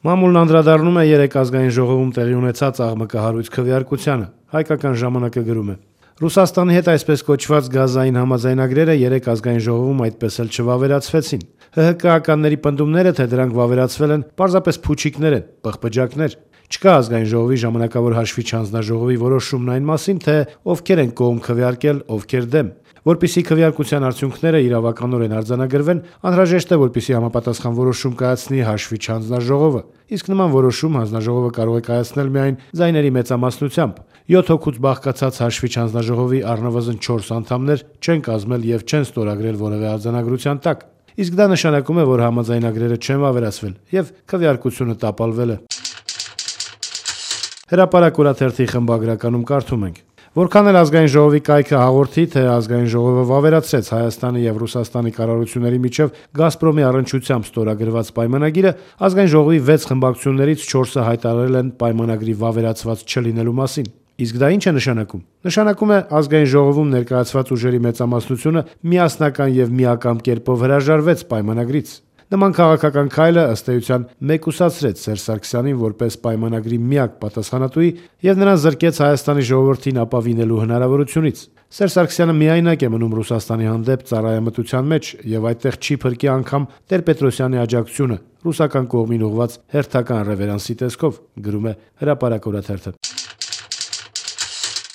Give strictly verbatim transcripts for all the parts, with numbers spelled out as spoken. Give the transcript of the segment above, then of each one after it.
Մամուլն անդրադառնում է երեք ազգային ժողովում տեղի ունեցած աղմկահարույց քվեարկությանը։ Հայկական ժամանակը գրում է. Ռուսաստանի հետ այսպես կոչված գազային համաձայնագրերը երեք ազգային ժողովում այդպես էլ չվավերացվեցին։ ՀՀԿ-ականների պնդումները, թե դրանք վավերացվել են, պարզապես փուչիկներ են, պղպջակներ։ Չկա ազգային ժողովի ժամանակավոր հաշվիչ հանձնաժողովի որոշումն այն մասին, թե ովքեր են կողմ քվեարկել, ովքեր դեմ։ Որպեսզի քվեարկության արդյունքները իրավականորեն արձանագրվեն, անհրաժեշտ է, որպեսզի համապատասխան որոշում կայացնի հաշվիչ հանձնաժողովը, իսկ նման որոշում հանձնաժողովը կարող է կայացնել միայն ձայների մեծամասնությամբ։ յոթ հոգուց բաղկացած հաշվիչ հանձնաժողովի առնվազն չորս անդամներ չեն կազմել եւ չեն ստորագրել որևէ արձանագրության տակ։ Իսկ դա նշանակում է, որ համաձայնագրերը չեն վավերացվել եւ քվեարկությունը տապալվել է։ Հրապարակ օրաթերթի խմբագրականում կարդում ենք. Որքան էլ ազգային ժողովի կայքը հաղորդի, թե ազգային ժողովը վավերացրեց Հայաստանի եւ Ռուսաստանի կառավարությունների միջև Գազպրոմի առնչությամբ ստորագրված պայմանագիրը, ազգային ժողովի վեց խմբակցություններից չորսը հայտարարել են պայմանագրի վավերացված չլինելու մասին։ Իսկ դա ինչ է նշանակում։ Նշանակում է ազգային ժողովում ներկայացված ուժերի մեծամասնությունը միասնական եւ միակամ կերպով հրաժարվեց պայմանագրից։ Նման քաղաքական քայլը ըստ էության մեկուսացրեց Սերժ Սարգսյանին որպես պայմանագրի միակ պատասխանատուի եւ նրան զրկեց Հայաստանի ժողովրդին ապավինելու հնարավորությունից։ Սերժ Սարգսյանը միայնակ է մնում Ռուսաստանի հանդեպ ծառայամտության մեջ եւ այդտեղ չի փրկի անգամ Տեր-Պետրոսյանի աջակցությունը ռուսական կողմին ուղղված հերթական ռևերանսի տեսքով, գրում է Հրապարակ օրաթերթը։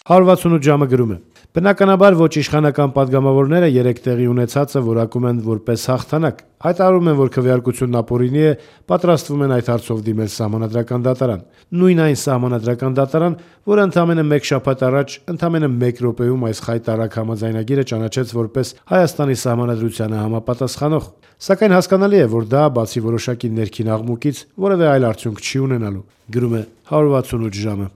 հարյուր վաթսունութ ժամը գրում է. Բնականաբար ոչ իշխանական падգամավորները երեք տեղի ունեցածը որակում են որպես հաղթանակ։ Հայտարարում են, որ քվեարկությունն ապօրինի է, պատրաստվում են այդ հարցով դիմել Սահմանադրական դատարան։ Նույն այն Սահմանադրական դատարան, որը ընդամենը մեկ շաբաթ առաջ, ընդամենը մեկ րոպեում այս խայտառակ համաձայնագիրը ճանաչեց որպես Հայաստանի Սահմանադրությանը համապատասխանող։ Սակայն հասկանալի է, որ դա բացի որոշակի ներքին աղմուկից որևէ այլ արդյունք չի ունենալու, գրում է հարյուր վաթսունութ ժամը։